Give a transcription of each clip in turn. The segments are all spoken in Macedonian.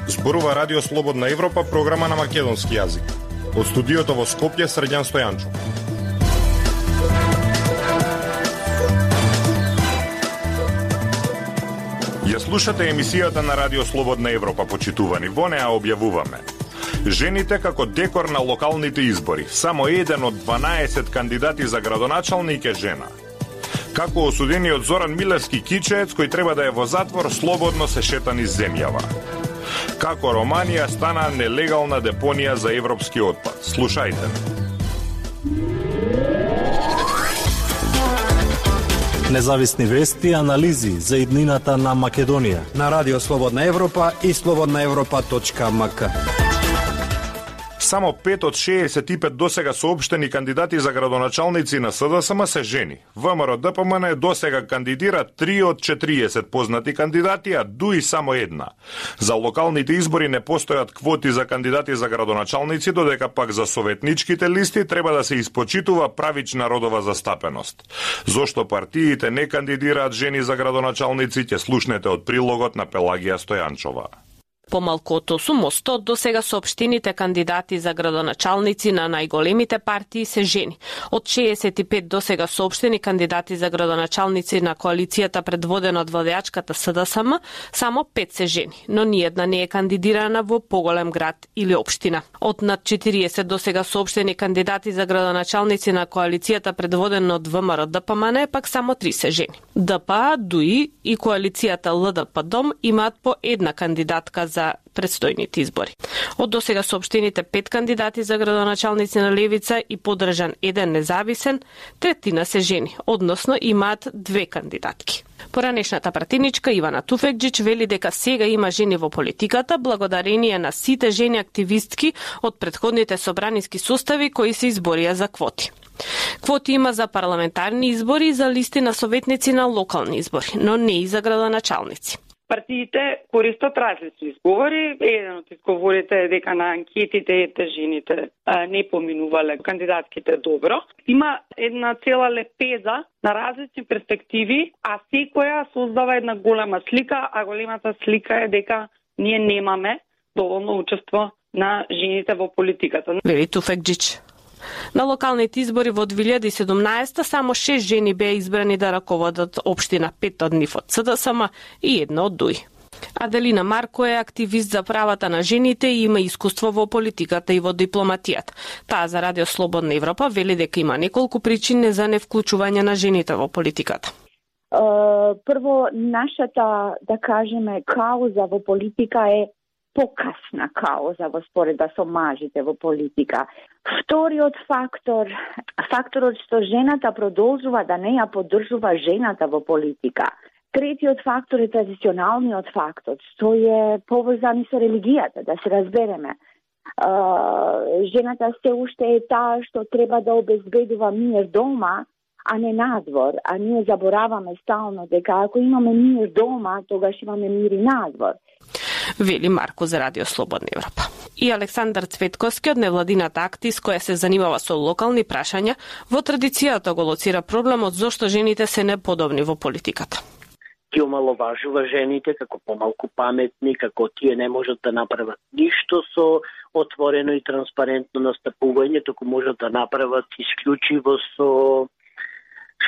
Зборува Радио Слободна Европа, програма на македонски јазик. Од студиото во Скопје, Срđan Стојанчов. Ја слушате емисијата на Радио Слободна Европа, почитувани. Во неа објавуваме: жените како декор на локалните избори. Само еден од 12 кандидати за градоначалник е жена. Како осудениот Зоран Милевски кичеец, кој треба да е во затвор, слободно се шета низ земјава. Како Романија стана нелегална депонија за европски отпад. Слушајте. Независни вести и анализи за иднината на Македонија на Радио Слободна Европа и slobodnaevropa.mk. Само 5 од 65 досега соопштени кандидати за градоначалници на СДСМ се жени. ВМРО-ДПМН досега кандидира 3 од 40 познати кандидати, а ДУИ само една. За локалните избори не постојат квоти за кандидати за градоначалници, додека пак за советничките листи треба да се испочитува правична родова застапеност. Зошто партиите не кандидираат жени за градоначалници, ќе слушнете од прилогот на Пелагија Стојанчова. Помалку од 8% од досега соопштените кандидати за градоначалници на најголемите партии се жени. Од 65 досега соопштени кандидати за градоначалници на коалицијата предводена од владеачката СДСМ, само 5 се жени, но ниедна не е кандидирана во поголем град или општина. Од над 40 досега соопштени кандидати за градоначалници на коалицијата предводена од ВМРО-ДПМН, пак само 3 се жени. ДПА, ДУИ и коалицијата ЛДП-ДОМ имаат по една кандидатка за предстојните избори. Од досега соопштените 5 кандидати за градоначалници на левица и поддржан еден независен, третина се жени, односно имаат 2 кандидатки. Поранешната пратеничка Ивана Туфекџич вели дека сега има жени во политиката благодарение на сите жени активистки од претходните собраниски состави кои се изборија за квоти. Квоти има за парламентарни избори и за листи на советници на локални избори, но не и за градоначалници. Партиите користат различни изговори. Еден од изговорите е дека на анкетите жените не поминувале кандидатките добро. Има една цела лепеза на различни перспективи, а секоја создава една голема слика, а големата слика е дека ние немаме доволно учество на жените во политиката. Вели Туфекџич. На локалните избори во 2017 само 6 жени беа избрани да раководат општина, 5 од нив од СДСМ и една од ДУИ. Аделина Марко е активист за правата на жените и има искуство во политиката и во дипломатијата. Таа за Радио Слободна Европа вели дека има неколку причини за невклучување на жените во политиката. Прво, нашата, да кажеме, кауза во политика е покасна кауза во споредба со мажите во политика. Вториот факторот што жената продолжува да не ја поддржува жената во политика. Третиот фактор е традиционалниот фактор, што е поврзан со религијата, да се разбереме. Жената се уште е таа што треба да обезбедува мир дома, а не надвор. А ние забораваме стално дека ако имаме мир дома, тогаш имаме мир и надвор. Вели Марко за Радио Слободна Европа. И Александар Цветковски од невладината актис која се занимава со локални прашања, во традицијата го лоцира проблемот зошто жените се неподобни во политиката. Ти омаловажува жените како помалку паметни, како тие не можат да направат ништо со отворено и транспарентно настапување, току можат да направат исклучиво со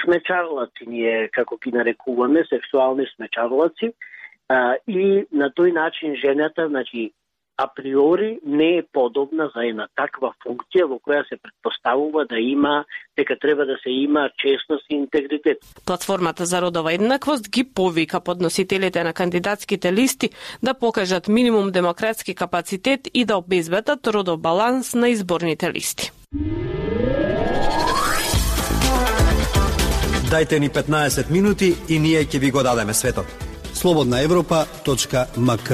смечарлаци, ние како ги нарекуваме, сексуални смечарлаци. И на тој начин жената, значи, априори не е подобна за една таква функција во која се претпоставува да има, дека треба да се има честност и интегритет. Платформата за родова еднаквост ги повика подносителите на кандидатските листи да покажат минимум демократски капацитет и да обезбедат родов баланс на изборните листи. Дајте ни 15 минути и ние ќе ви го дадеме светот. slobodnaevropa.mk.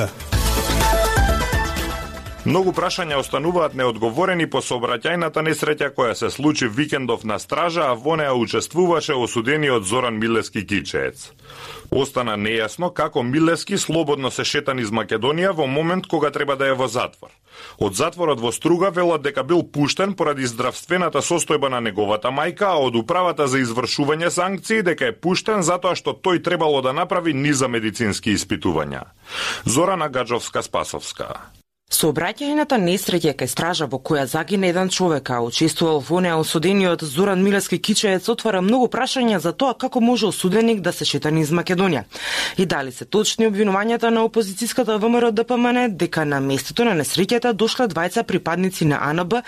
Многу прашања остануваат неодговорени по сообраќајната несреќа која се случи викендов на стража, а во неа учествуваше осудениот Зоран Милевски кичеец. Остана нејасно како Милевски слободно се шета низ Македонија во момент кога треба да е во затвор. Од затворот во Струга велат дека бил пуштен поради здравствената состојба на неговата мајка, а од управата за извршување санкции дека е пуштен затоа што тој требало да направи низа медицински испитувања. Зорана Гаджовска-Спасовска. Сообраќајната несреќа кај стража во која загина еден човек, а учествувал во неа осудениот Зоран Милевски Кичеец, отвара многу прашања за тоа како може осуденик да се шета низ Македонија. И дали се точни обвинувањата на опозицијската ВМРО ДПМН дека на местото на несреќата дошле двајца припадници на АНБ,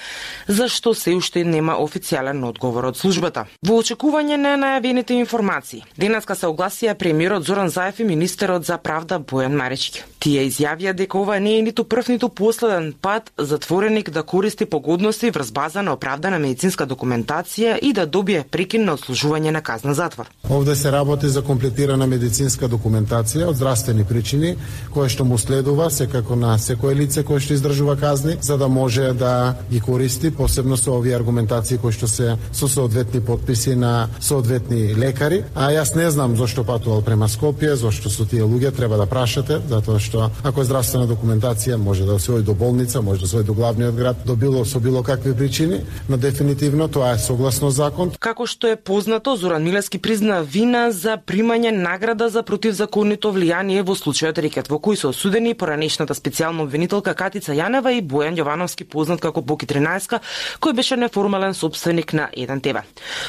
зашто се уште нема официјален одговор од службата. Во очекување на најавените информации, денеска се огласија премиерот Зоран Заев и министерот за правда Бојан Марички. Тие изјавија дека ова не е ниту прв ниту последен пат затвореник да користи погодности врз база на оправдана медицинска документација и да добие прекин на отслужување на казна затвор. Овде се работи за комплетирана медицинска документација од здравствени причини, која што му следува секако на секое лице кое што издржува казни, за да може да ги користи, посебно со овие аргументации кои што се со соодветни подписи на соодветни лекари. А јас не знам зошто патувал према Скопје, зошто со тие луѓе треба да прашате, затоа што ако е здравствена документација може да се оди до болница, може да се оди до главниот град, до било какви причини, но дефинитивно тоа е согласно закон. Како што е познато, Зоран Милевски призна вина за примање награда за противзаконито влијание во случајот рекет, во кој се осудени поранешната специјална обвинителка Катица Јанева и Бојан Јовановски, познат како Боки 13, кој беше неформален сопственик на 1 ТВ.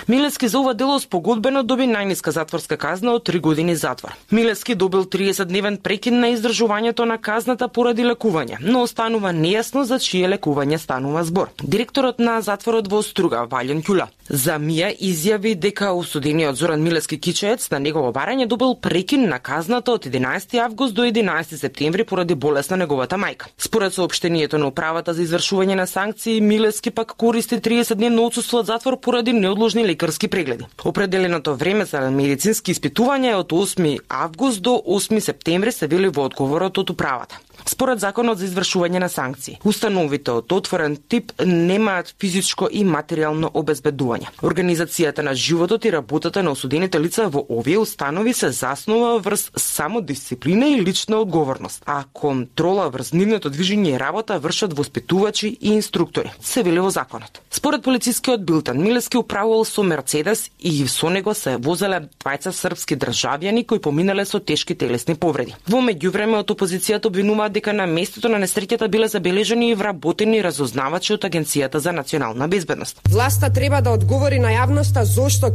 Милевски за ова дело спогодбено доби најниска затворска казна од 3 години затвор. Милевски добил 30-дневен прекин на издржувањето на казната поради лекување, но останува нејасно за чие лекување станува збор. Директорот на затворот во Струга, Валјан Ќула, за МИА изјави дека осудениот Зоран Милевски Кичеец на негово барање добил прекин на казната од 11 август до 11 септември поради болест на неговата мајка. Според соопштението на управата за извршување на санкции, Милевски пак користи 30-дневно отсуство од затвор поради неодложни лекарски прегледи. Определеното време за медицински испитувања е од 8 август до 8 септември, се вели во одговорот од управата. Според законот за извршување на санкции, установите од отворен тип немаат физичко и материјално обезбедување. Организацијата на животот и работата на осудените лица во овие установи се заснува врз самодисциплина и лична одговорност, а контрола врз нивното движење и работа вршат воспитувачи и инструктори, се вели во законот. Според полицискиот билтен, Милевски управувал со Мерцедес и со него се возеле двајца српски државјани кои поминале со тешки телесни повреди. Во меѓувреме од опозицијата обвинуваат дека на местото на несреќата биле забележани и вработени разузнавачи од Агенцијата за национална безбедност. Власта треба да одговори на јавноста зошто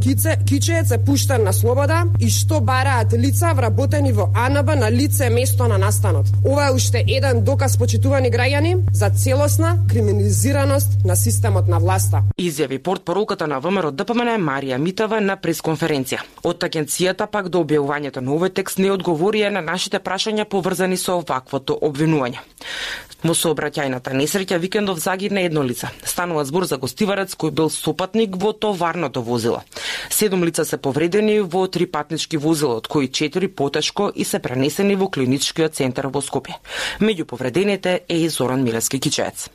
Кичеец е пуштен на слобода и што бараат лица вработени во АНБ на лице место на настанот. Ова е уште еден доказ, почитувани граѓани, за целосна криминализираност на системот на власта. Изјави портпаролката на ВМРО ДПМН Марија Митава на пресконференција. Од агенцијата пак до објавувањето на овој текст не одговорија на нашите прашања поврзани со оваквото обвинување. Во сообраќајната несреќа викендов загина едно лице. Станува збор за гостиварец кој бил сопатник во товарното возило. 7 лица се повредени во 3 патнички возила, од кои 4 потешко и се пренесени во клиничкиот центар во Скопје. Меѓу повредените е и Зоран Милевски Кичеец.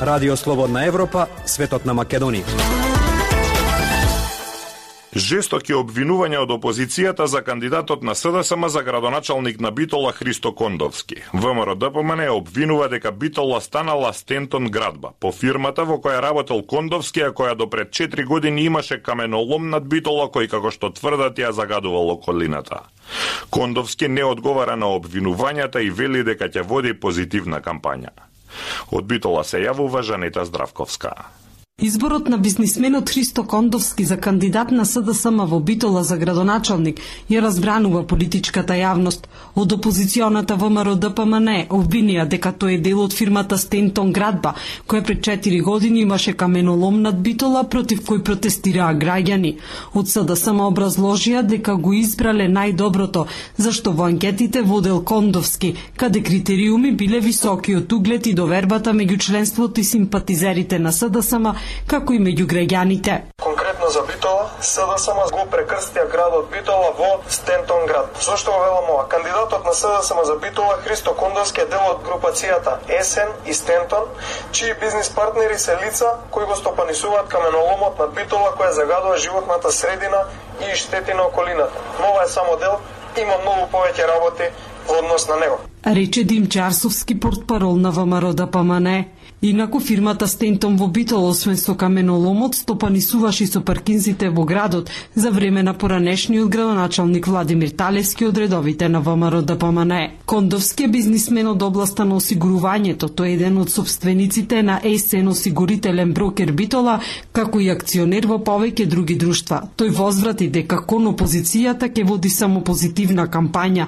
Радио Слободна Европа, светот на Македонија. Жестоки обвинувања од опозицијата за кандидатот на СДСМ за градоначалник на Битола Христо Кондовски. ВМРО ДПМН обвинува дека Битола станала Стентон градба, по фирмата во која работел Кондовски, а која до пред 4 години имаше каменолом над Битола кој, како што тврдат, ја загадувал околината. Кондовски не одговара на обвинувањата и вели дека ќе води позитивна кампања. Од Битола се јавува Жанета Здравковска. Изборот на бизнисменот Христо Кондовски за кандидат на СДСМ во Битола за градоначалник ја разбранува политичката јавност. Од опозиционата ВМРО ДПМН обвинија дека тој е дел од фирмата Стентон градба, која пред 4 години имаше каменолом над Битола против кој протестираа граѓани. Од СДСМ образложија дека го избрале најдоброто, зашто во анкетите водел Кондовски, каде критериуми биле високи од углед и довербата меѓу членството и симпатизерите на СДСМ, како и меѓу граѓаните. Конкретно за Битола, СДСМ го прекрстија градот Битола во Стентон град. Зошто го велам ова? Кандидатот на СДСМ за Битола Христо Кондовски е дел од групацијата Есен и Стентон, чии бизнис партнери се лица кои го стопанисуваат каменоломот на Битола која загадува животната средина и штети на околината. Но ова е само дел, има многу повеќе работи во однос на него. Рече Димчо Арсовски, портпарол на ВМРО ДПМНЕ. Инаку фирмата Стентон во Битола, освен со каменоломот, стопанисуваше и со паркинзите во градот за време на поранешниот градоначалник Владимир Талевски од редовите на ВМРО ДПМНЕ. Кондовски е бизнисмен од областа на осигурувањето. Тој е еден од собствениците на ЕСН осигурителен брокер Битола, како и акционер во повеќе други друштва. Тој возврати дека кон опозицијата ќе води само позитивна кампања.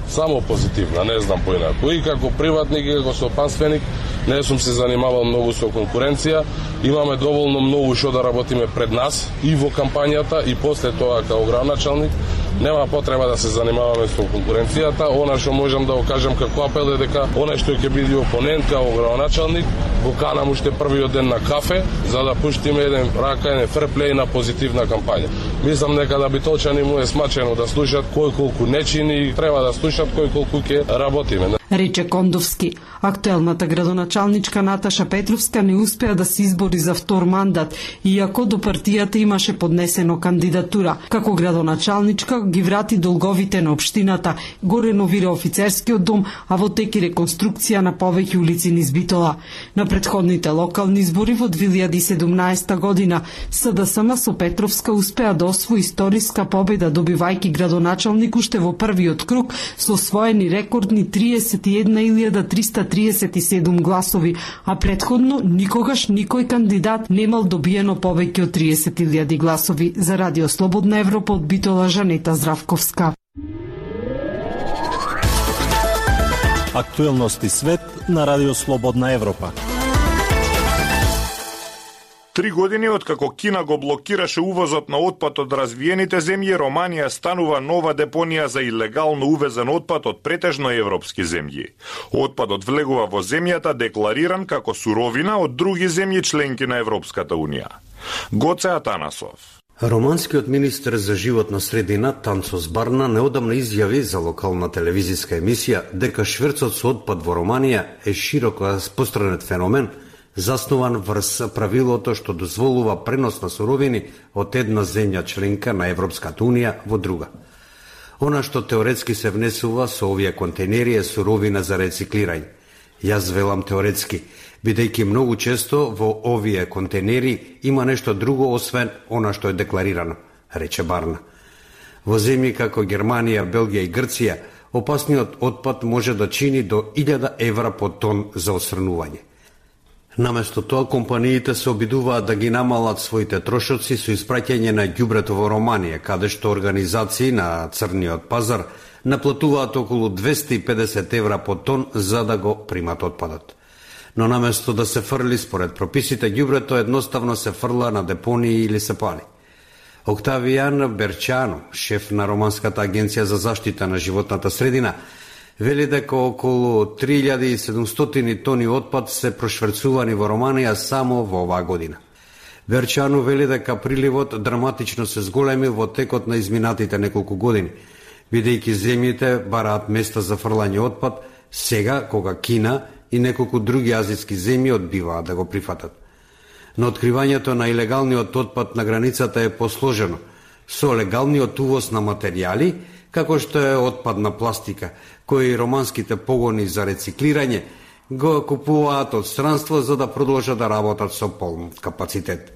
Само позитивна, не знам поинаку. И како приватник и како стопанственик не сум се занимавал многу со конкуренција. Имаме доволно многу што да работиме пред нас и во кампањата и после тоа како градоначалник. Нема потреба да се занимаваме со конкуренцијата. Она што можам да го кажам како апел е дека оној што ќе биде опонент како градоначалник го канам уште првиот ден на кафе за да пуштиме еден ферплеј на позитивна кампања. Мислам дека да битолчани му е смачено да слушат кој колку не чини, треба да слушат кој колку ќе работиме. Рече Кондовски. Актуелната градоначалничка Наташа Петровска не успеа да се избори за втор мандат, иако до партијата имаше поднесено кандидатура. Како градоначалничка ги врати долговите на општината, го реновира офицерскиот дом, а во тек и реконструкција на повеќе улици низ Битола. На претходните локални избори во 2017 година СДСМ со Петровска успеа да освои историска победа, добивајќи градоначалник уште во првиот круг со освоени рекордни 31.337 гласови, а претходно никогаш никој кандидат немал добиено повеќе од 30.000 гласови. За Радио Слободна Европа од Битола, Жанета Здравковска. Актуелности свет на Радио Слободна Европа. 3 години откако Кина го блокираше увозот на отпад од развиените земји, Романија станува нова депонија за илегално увезен отпад од претежно европски земји. Отпадот влегува во земјата деклариран како суровина од други земји членки на Европската Унија. Гоце Атанасов. Романскиот министер за животна средина Танцос Барна неодамна изјави за локална телевизиска емисија дека шверцот со отпад во Романија е широко распространет феномен, заснован врз правилото што дозволува пренос на суровини од една земја членка на Европската Унија во друга. Она што теоретски се внесува со овие контейнери е суровина за рециклирање. Јас велам теоретски, бидејќи многу често во овие контейнери има нешто друго освен она што е декларирано, рече Барна. Во земји како Германија, Белгија и Грција, опасниот отпад може да чини до 1000 евра по тон за отстранување. Наместо тоа, компаниите се обидуваат да ги намалат своите трошоци со испраќање на ѓубрето во Романија, каде што организации на црниот пазар наплатуваат околу 250 евра по тон за да го примат отпадот. Но наместо да се фрли според прописите, ѓубрето едноставно се фрла на депонии или се пали. Октавијан Берчано, шеф на Романската агенција за заштита на животната средина, вели дека околу 3700 тони отпад се прошверцувани во Романија само во оваа година. Берчано вели дека приливот драматично се зголеми во текот на изминатите неколку години, бидејќи земјите бараат места за фрлање отпад сега кога Кина и неколку други азиски земји одбиваат да го прифатат. Но откривањето на илегалниот отпад на границата е посложено, со легалниот увоз на материјали, како што е отпадна пластика, кои романските погони за рециклирање го купуваат од странство за да продолжат да работат со полн капацитет.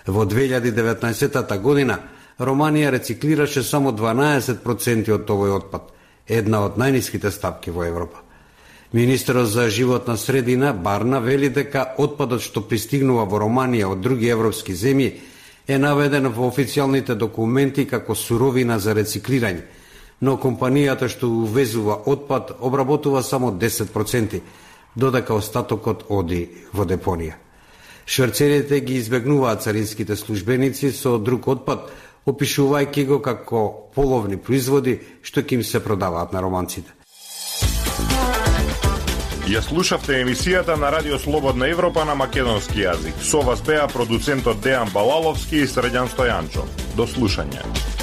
Во 2019 година Романија рециклираше само 12% од овој отпад, една од најниските стапки во Европа. Министерот за животна средина Барна вели дека отпадот што пристигнува во Романија од други европски земји е наведен во официјалните документи како суровина за рециклирање, но компанијата што увезува отпад обработува само 10%, додека остатокот оди во депонија. Шверцерите ги избегнуваат царинските службеници со друг отпад, опишувајќи го како половни производи што ќе им се продаваат на романците. Ја слушавте емисијата на Радио Слободна Европа на македонски јазик. Со вас беа продуцентот Дејан Балаловски и Средјан Стојанчов. До слушање.